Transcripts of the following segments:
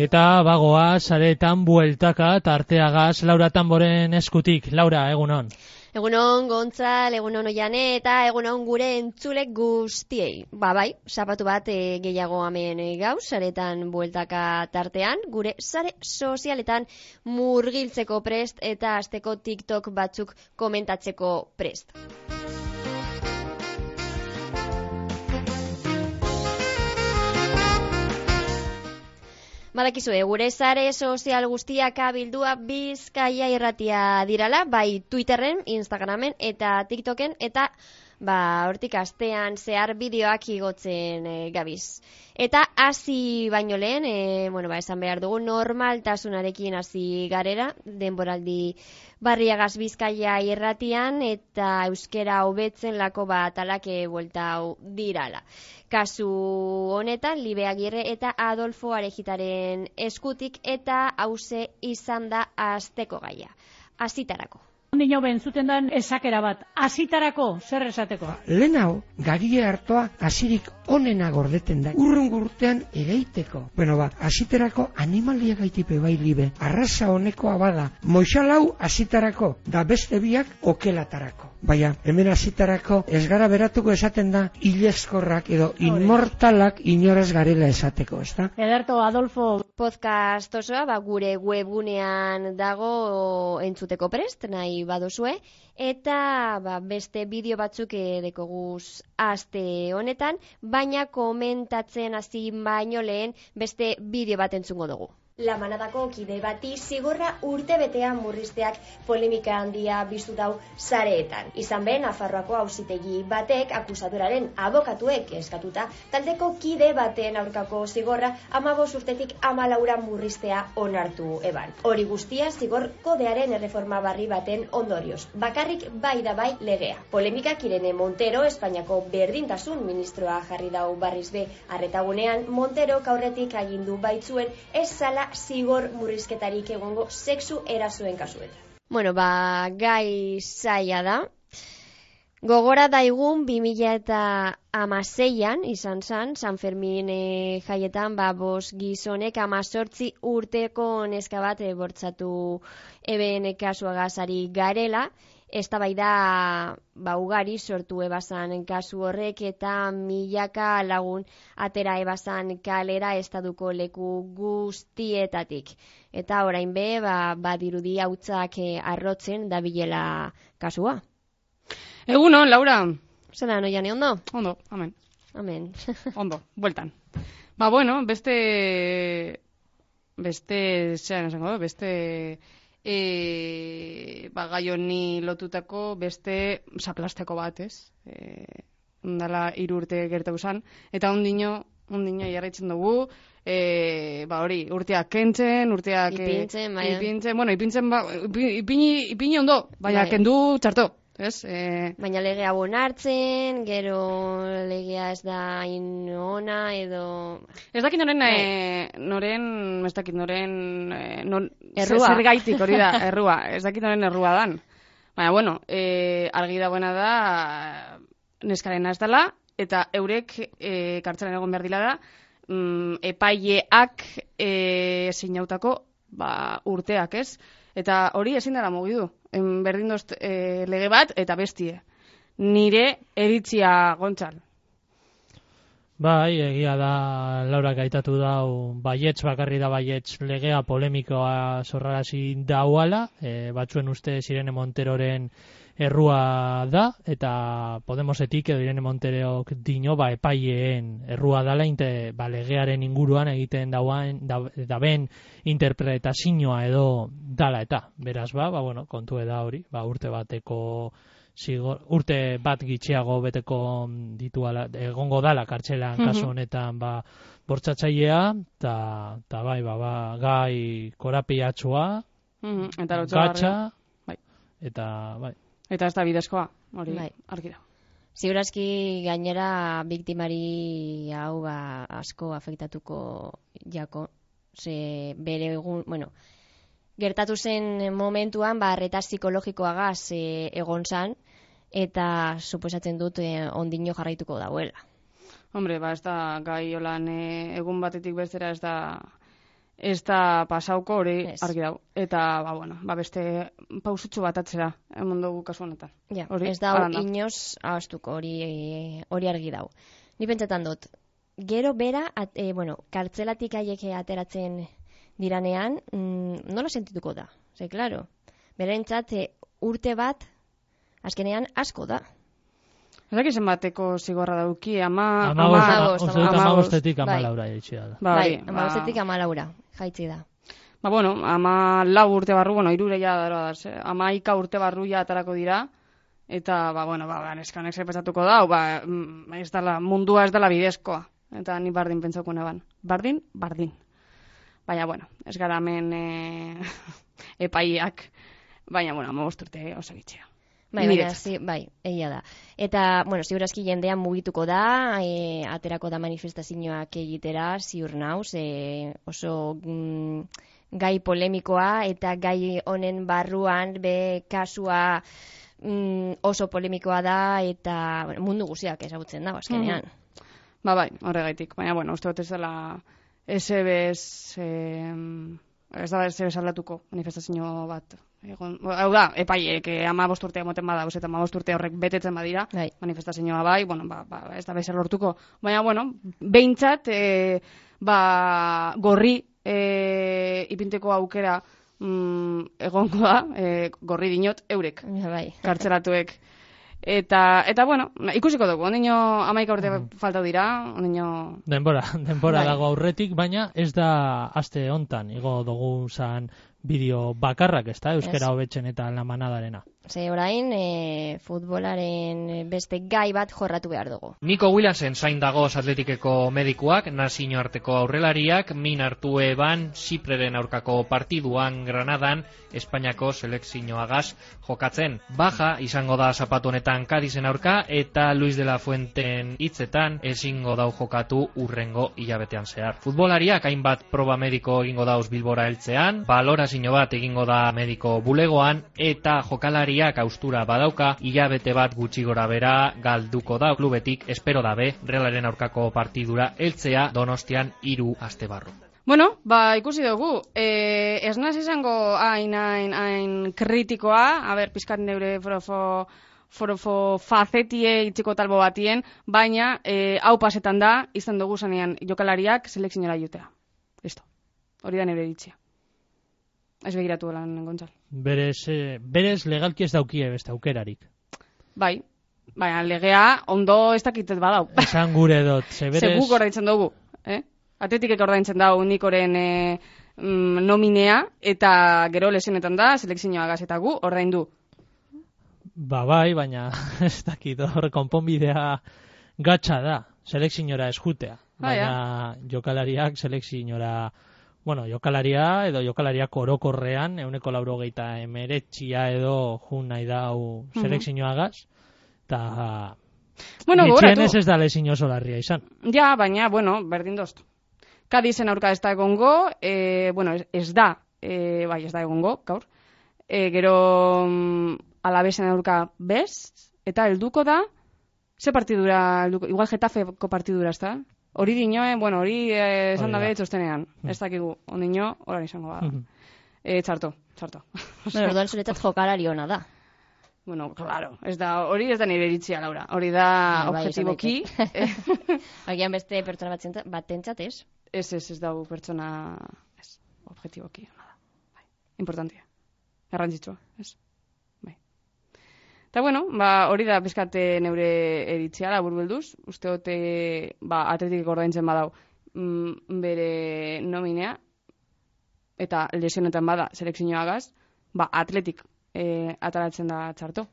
Eta bagoa saretan bueltaka tarteagaz Laura Tamboren eskutik. Laura, egunon. Egunon Gontzal, egunon Oiane eta egunon gure entzule guztiei. Bai, zapatu bat gehiago hemen gauz, saretan bueltaka tartean, gure sare sozialetan murgiltzeko prest eta asteko TikTok batzuk komentatzeko prest. Badakizue, gure sare sozial guztiak abildua Bizkaia Irratia dirala, bai Twitterren, Instagramen eta TikToken, eta hortik astean zehar bideoak igotzen gabiz. Eta hasi baino lehen, esan behar dugu normaltasunarekin hasi garera, denboraldi Barriagaz Bizkaia Irratian eta euskera hobetzen lako bat alake bueltau dirala. Kasu honetan, Libe Agirre eta Adolfo Arejitaren eskutik eta hauze izan da asteko gaia. Azitarako. Ondino bentzuten dan esakera bat, azitarako, zer esateko? Lehen hau, gagie hartoa azirik onena gordeten da, urtean egeiteko. Aziterako animalia gaitipe bai Libe, arraza honekoa bada, moixalau azitarako, da beste biak okelatarako. Baina, hemen azitarako ez gara beratuko esaten da, hilezkorrak edo inmortalak inoraz garela esateko, ezta? Ederto, Adolfo. Podcast osoa, gure webgunean dago entzuteko prest, nahi badozue, eta beste bideo batzuk dekoguz aste honetan, baina komentatzen hasi baino lehen beste bideo bat entzungo dugu. La manadako kide bati zigorra urtebetean murrizteak polemika handia biztu dau sareetan. Izan ben, Nafarroako auzitegi batek akusadoraren abokatuek eskatuta, taldeko kide baten aurkako zigorra 15 urtetik 14 murriztea onartu eban. Hori guztia zigor kodearen erreforma barri baten ondorioz. Bakarrik bai da bai legea. Polemikak Irene Montero, Espainiako berdintasun ministroa jarri dau barriz be arretagunean, Montero aurretik agindu baitzuen ez zala zigor murrizketarik egongo sexu erasoen kasuetan. Gai zaila da. Gogora daigun 2016an izan zan, San Fermin jaietan, 5 gizonek 18 urteko neska bat bortzatu eben kasuagazari garela. Eztabaida ugari sortu ebazan kasu horrek eta milaka lagun atera ebazan kalera estaduko leku guztietatik. Eta orain be, badirudi hautzak arrotzen dabilela kasua. Egunon, Laura. Zena, Oiane, ondo? Ondo, amen. Amen. Ondo, bueltan. Gai honi lotutako beste zaplasteko bat, ez? Dala 3 urte gertatu zan, eta ondino jarraitzen dugu, urteak kentzen, urteak ipini ondo, baina kendu txarto, ez? Baina legea bonartzen, gero legea ez da inona, edo... Ez dakit noren zer gaitik hori da, errua. Ez dakit noren errua dan. Baina, argi dagoena da, neskarena ez dela, eta eurek kartzelan egon behar dila da, epaileak zeinautako urteak, ez? Eta hori ezin dara mugidu. Berdin dozt lege bat eta bestie. Nire eritzia, Gontzal. Bai, egia da, Laura gaitatu dau, baietz bakarri da baietz legea polemikoa sorrarazi dauala, batzuen uste Irene Monteroren errua da, eta Podemosetik edo Irene Monterok dino epaileen errua dala, legearen inguruan egiten daben interpretazioa edo dala eta. Beraz kontu da hori, urte bateko urte bat gitxiago beteko dituala, egongo dala kartxelan kasu honetan bortzatzailea, eta gai korapiatsua, gatsa, eta Eta ez da bidezkoa, hori argi da. Ziurazki gainera biktimari hau asko afektatuko jako, ze bere egun, gertatu zen momentuan arreta psikologikoagaz egon zan, eta suposatzen dut ondino jarraituko dauela. Hombre, ez da gai holan egun batetik bestera ez da ez da pasauko hori argi dago. Eta, beste pausutxo bat atzera, emon dugu kasu honetan. Ja, ez da inoz ahaztuko hori argi dago. Ni pentsatan dut, gero bera, kartzelatik haiek ateratzen diranean, nola sentituko da? Ze, klaro, berentzat urte bat, azkenean asko da. Ezak izan bateko zigorra dauki, amabostetik amalaura jaitxia da. Bai, amabostetik amalaura jaitxi da. 14 urte barru, irure ja dara da, 11 urte barru ja atarako dira, eta, neskanek zepesatuko da, mundua ez dela bidezkoa, eta ni bardin pentsauko neban. Bardin. Baina, ez gara hemen epaiak, baina, 15 urte osagitxea. Bai, egia da. Eta, ziurazki jendean mugituko da, aterako da manifestazioak egitera, ziur nauz, oso gai polemikoa, eta gai honen barruan, kasua oso polemikoa da, eta mundu guziak ezagutzen da, azkenean. Bai, horregaitik. Baina, uste dut ez dela ez aldatuko manifestazio bat. Hau da, epaiek 15 urte emoten badauz, eta 15 urte horrek betetzen badira, manifestazioa bai, ez da bezer lortuko. Baina, behintzat, gorri ipinteko aukera egongo da, gorri dinot eurek, kartzelatuek. Eta ikusiko dugu, ondino 11 urte falta dira, ondino... Denbora dago aurretik, baina ez da aste hontan, igo dugu zan bideo bakarrak, ez da, euskera hobetzen eta lamanadarena. Ze orain, futbolaren beste gai bat jorratu behar dugu. Nico Williamsen zain dagoz atletikeko medikuak, nazio arteko aurrelariak, min hartu eban Zipreren aurkako partiduan Granadan, Espainiako selekzioagaz jokatzen. Baja izango da zapatu honetan Kadizen aurka, eta Luis de la Fuenten hitzetan ezingo dau jokatu urrengo hilabetean zehar. Futbolariak hainbat proba mediko egingo dauz Bilbora heltzean, balorazio bat egingo da mediko bulegoan, eta jokalariak austura badauka, hilabete bat gutxi gora bera galduko da klubetik, espero dabe, Realaren aurkako partidura heltzea Donostian 3 aste barru. Ikusi dugu, ez naz izango hain kritikoa, pizkat neure forofo fazetie itxiko talbo batien, baina hau pasetan da, izan dugu zanean jokalariak selekziora jutea. Listo, hori da neure ditzia. Ez begiratu lan, Gontzal. Berez legalki ez daukie beste aukerarik. Bai, baina legea ondo ez dakitet badau. Esan gure dut. Seguk ordaintzen dugu. Atletikek ordaintzen dau Nikoren nominea, eta gero lesionetan da, selekzioa gazetagu, ordaindu. Bai, baina ez dakit hor konponbidea gatsa da, selekziora ez jutea. Baina jokalariak selekziora... jokalaria edo jokalariak orokorrean, 189 edo jun nahi dau selekzioagaz, eta nitxien ez da lezin oso larria izan. Ja, baina, berdin doztu. Kadizen aurka ez da egongo, ez da egongo, gaur. Gero Alavesen aurka bez, eta helduko da, ze partidura, igual Getafeko partidura, ez da? Hori dinoen, hori esan dabe txostenean. Ez dakigu, ondino, horan izango bada. Txarto. Orduan zuretzat jokalari hona da. Claro, hori ez da nire iritzia, Laura. Hori da objetiboki. Agian beste pertsona bat entzat, ez? Ez dago pertsona, objetiboki. Importantia. Errantzitsua, ez? Eta hori da pizkate neure eritzea, labur belduz. Uste hote, atletikek ordaintzen badau bere nominea, eta lesionetan bada selekzioagaz, atletik ataratzen da txarto.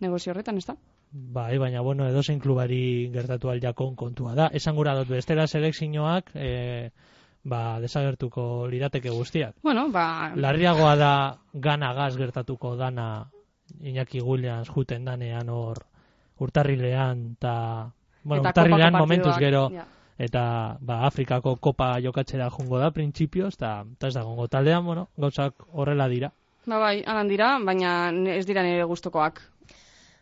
Negozio horretan, ez da? Bai, baina, edozein klubari gertatu aldiakon kontua da. Esan gura dut, bestera selekzioak desagertuko lirateke guztiak. Larriagoa da ganagaz gertatuko dana Iñaki Williams juten danean hor urtarrilean, eta urtarrilean momentuz gero, eta Afrikako kopa jokatzera jungo da, printzipioz, eta ez da gongo taldean, gauzak horrela dira. Bai, alan dira, baina ez dira nire gustokoak.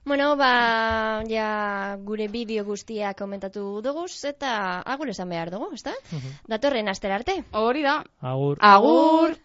Bueno, ja gure bideo guztiak komentatu dugu, eta agur esan behar dugu, ezta? Datorren astera arte. Hori da. Agur. Agur.